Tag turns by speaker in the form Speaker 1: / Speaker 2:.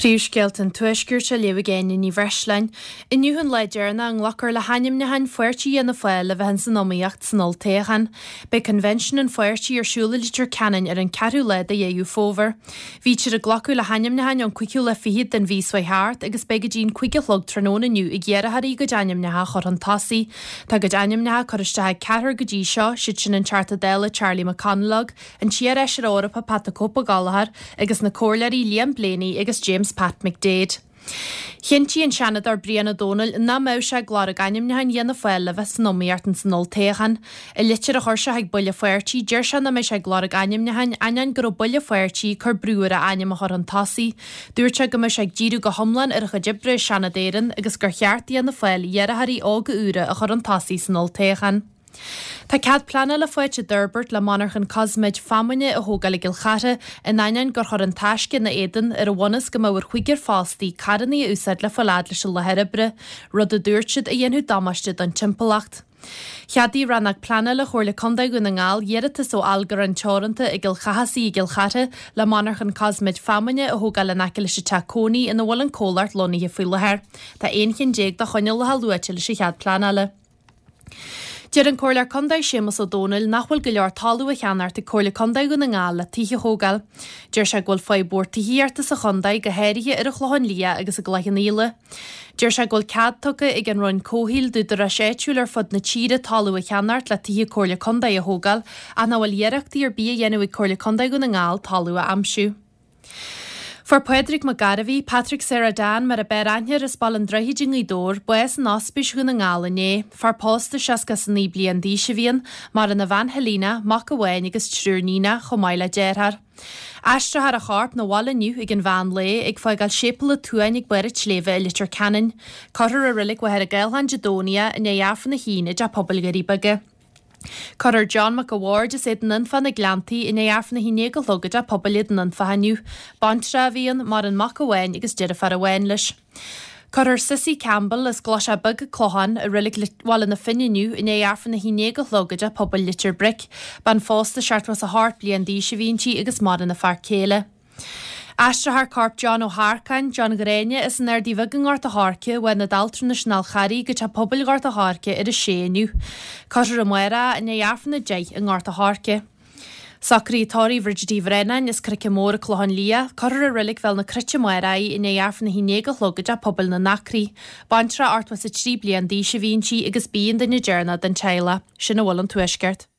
Speaker 1: Príomhscéalta an Tuaiscirt á léamh ag Áine Ní Bhreisleáin. Inniu an lá deireanach a nglacfar le hainmneacháin pháirtí Fhianna Fáil le bheith ins an iomaíocht san olltoghchán. Beidh Convention an pháirtí ar siúl i Leitir Ceanainn ar an ceathrú lá de Dheireadh Fómhair. Bhítear ag glacadh le hainmneacháin ón cúigiú lá fichead den mhí seo thart agus beidh go dtí an 5 a chlog tráthnóna inniu ag iarrthóirí a gcuid ainmneacha a chur chun tosaigh. Tá a gcuid ainmneacha curtha isteach ag ceathrar go dtí seo, siad sin an Teachta Dála Charlie McConalogue, an t-iarfheisire Eorpach Pat the Cope Gallagher agus na Comhairleoirí Liam Blaney agus James Pat McDaid. Chinntigh an Seanadóir Brian Ó Domhnaill nach mbeadh sé ag lorg ainmniúcháin Fhianna Fáil le bheith san iomaíocht ins an olltoghchán. I litir a chuir sé chuig baill an pháirtí, deir sé nach mbeidh sé ag lorg ainmniúcháin ainneoin go raibh baill an pháirtí ag cur brú air a ainm a chur chun tosaigh. Dúirt sé go mbeadh sé ag díriú go hiomlán ar a chuid oibre i Seanad Éireann agus gur cheart d'Fhianna Fáil iarrthóirí óga úra a chur chun tosaigh san olltoghchán. Tá cead pleanála faighte d'fhorbairt le monarchan cosmaid feamainne a thógáil i gCill Chartha in ainneoin gur chuir An Taisce ina éadan ar an bhunús go mbeadh ar chúigear fostaí carranna a úsáid le fáil fhad leis an láthair oibre, rud a dúirt siad a dhéanfadh damáiste don timpeallacht. Cheadaigh Rannóg Pleanála Chomhairle Contae Dhún na nGall iarratas ó Algarán Teoranta i gCill Chathasaigh i gCill Chartha le monarchan cosmaid feamainne a thógáil in aice leis an teach cónaí ina bhfuil an comhlacht lonnaithe faoi láthair. Tá 11 chinn de choinníollacha luaite leis an chead pleanála. Deir an Comhairleoir Contae Séamus Ó Domhnaill nach bhfuil go leor talamh á cheannacht ag Comhairle Contae Dhún na nGall le tithe a thógáil. Deir sé go bhfuil fadhb mhór tithíochta sa chontae, go háirithe ar an Chlochán Liath agus i gCloich Cheann Fhaola. Deir sé go bhfuil cead tugtha ag an Roinn Comhshaoil d'údaráis áitiúil ar fud na tíre talamh a cheannacht le tithe Comhairle Contae a thógáil ach nach bhfuil iarrachtaí ar bith á dhéanamh ag Comhairle Contae Dhún na nGall talamh a aimsiú. Fuair Pádraig Mac Gairbhí, Patrick Sarah Dan mar a b'fhearr aithne air as Baile an Droichid i nGaoth Dobhair, bás in Ospís Dhún na nGall inné. Fear pósta 69 bliain d'aois a bhí ann, maireann a bhean Helena, mac amháin agus triúr níonach, chomh maith le deartháir. Aistreofar a chorp 'na bhaile inniu ag an mheán lae, ag fágáil Séipéal an tSuain ag barr an tsléibhe i Leitir Ceanainn. Cuirfear i Reilig Mhachaire Gathlán Dé Domhnaigh é i ndiaidh Aifreann a haon i dTeach Pobail Dhoirí Beaga. Cuirfear John Mac a' Bhaird as Éadan Anfa na Gleanntaí i ndiaidh Aifreann a haon déag a chlog i dTeach Pobail Éadan Anfach inniu. Baintreach a bhí ann, maireann mac amháin agus deirfiúr amháin leis. Cuirfear Cissie Campbell as gCloiseach Beag, Clochán, i Reilig Bhaile na Finne inniu i ndiaidh Aifreann a haon déag a chlog i dTeach Pobail Leitir Bric. Bean phósta 78 bliain d'aois a bhí inti agus maireann a fear céile. Aistreofar corp John Ó hEarcáin, John Ghráinne, as an Ardaidh Bheag i nGort a' Choirce, uaidh Ionad Altranais an Fháil Charraigh go Teach Pobail Ghort a' Choirce ar a sé inniu. Cuirfear amárach é i ndiaidh Aifreann 10 i nGort a' Choirce. Socruithe tórraimh Bhridget Uí Bhraonáin as Cnoice Mór an Clochán Liath, cuirfear i Reilig Bhéal na Cruite amárach í i ndiaidh Aifreann 11 a chlog i dTeach Pobail na nAcraí. Baintreach 83 bliain d'aois a bhí inti agus b'í an duine deireanach den teaghlach. Sin a bhfuil ón Tuaisceart.